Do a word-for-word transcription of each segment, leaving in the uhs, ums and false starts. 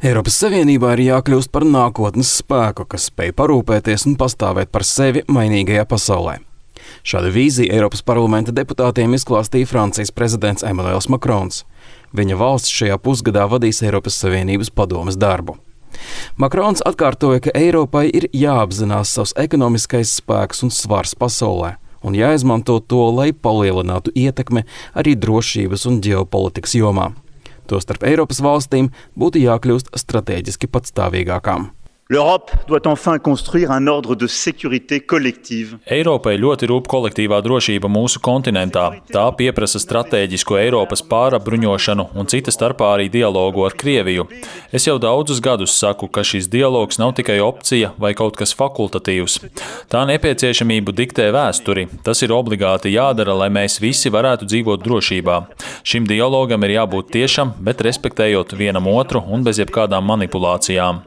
Eiropas Savienībā ir jākļūst par nākotnes spēku, kas spēj parūpēties un pastāvēt par sevi mainīgajā pasaulē. Šādu vīziju Eiropas parlamenta deputātiem izklāstīja Francijas prezidents Emmanuels Macrons. Viņa valsts šajā pusgadā vadīs Eiropas Savienības padomes darbu. Macrons atkārtoja, ka Eiropai ir jāapzinās savs ekonomiskais spēks un svars pasaulē un jāizmanto to, lai palielinātu ietekmi arī drošības un ģeopolitikas jomā. Tostarp Eiropas valstīm būtu jākļūst stratēģiski patstāvīgākām. L'Europe doit enfin construire un ordre de sécurité collective. Eiropai ļoti rūp kolektīvā drošība mūsu kontinentā. Tā pieprasa stratēģisku Eiropas pārapbruņošanu un cita starpā arī dialogu ar Krieviju. Es jau daudzus gadus saku, ka šis dialogs nav tikai opcija vai kaut kas fakultatīvs. Tā nepieciešamību diktē vēsturi. Tas ir obligāti jādara, lai mēs visi varētu dzīvot drošībā. Šim dialogam ir jābūt tiešam, bet respektējot vienam otru un bez jebkādām manipulācijām.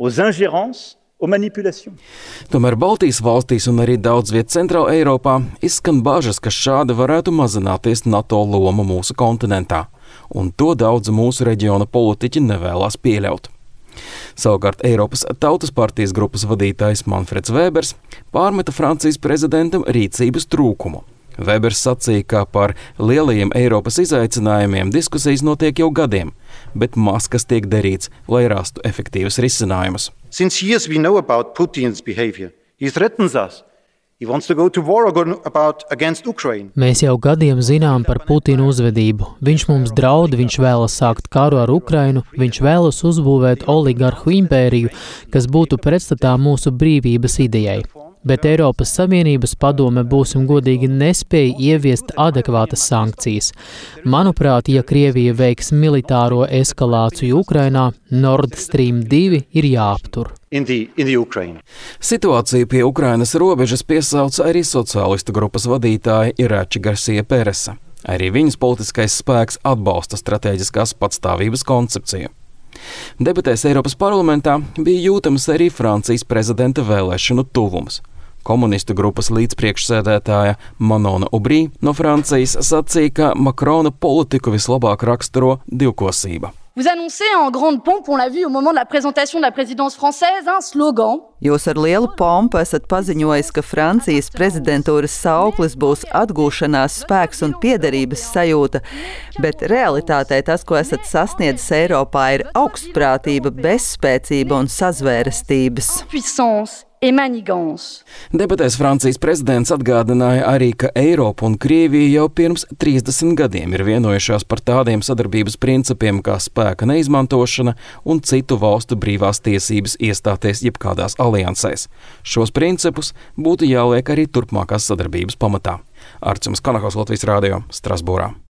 Tomēr Baltijas valstīs un arī daudz viet Centrāla Eiropā izskan bažas, ka šādi varētu mazināties NATO loma mūsu kontinentā, un to daudz mūsu reģiona politiķi nevēlas pieļaut. Savukārt Eiropas Tautas partijas grupas vadītājs Manfreds Vēbers pārmeta Francijas prezidentam rīcības trūkumu. Vēbers sacīja, ka par lielajiem Eiropas izaicinājumiem diskusijas notiek jau gadiem, bet maz kas tiek darīts, lai rastu efektīvus risinājumus. Since years we know about Putin's behavior. He threatens us. He wants to go to war about against Ukraine. Mēs jau gadiem zinām par Putina uzvedību. Viņš mums draud, viņš vēlas sākt karu ar Ukrainu, viņš vēlas uzbūvēt oligarhu impēriju, kas būtu pretstatā mūsu brīvības idejai. Bet Eiropas Savienības padome, būsim godīgi, nespēja ieviest adekvātas sankcijas. Manuprāt, ja Krievija veiks militāro eskalāciju Ukrainā, Nord Stream divi ir jāaptur. In the, in the Ukraine. Situāciju pie Ukrainas robežas piesauca arī sociālistu grupas vadītāja Irači Garcia Peresa. Arī viņas politiskais spēks atbalsta stratēģiskās patstāvības koncepciju. Debatēs Eiropas parlamentā bija jūtams arī Francijas prezidenta vēlēšanu tuvums. Komunistu grupas līdzpriekšsēdētāja Manona Aubry no Francijas sacīja, ka Macrona politiku vislabāk raksturo divkosība. Vous annoncez en grande pompe, on l'a vu au moment de la présentation de la présidence française, un slogan. Jūs ar lielu pompu esat paziņojis, ka Francijas prezidentūras sauklis būs atgūšanās spēks un piederības sajūta, bet realitātē tas, ko esat sasniedzis Eiropā, ir augstprātība, bezspēcība un sazvērestības. Puissance et manigance. Debatēs Francijas prezidents atgādināja arī, ka Eiropa un Krievija jau pirms trīsdesmit gadiem ir vienojušās par tādiem sadarbības principiem kā spēka neizmantošana un citu valstu brīvās tiesības iestāties jebkādās aliansēs. Šos principus būtu jāliek arī turpmākās sadarbības pamatā. Arčuns Kanahos, Latvijas Rādio, Strasbūrā.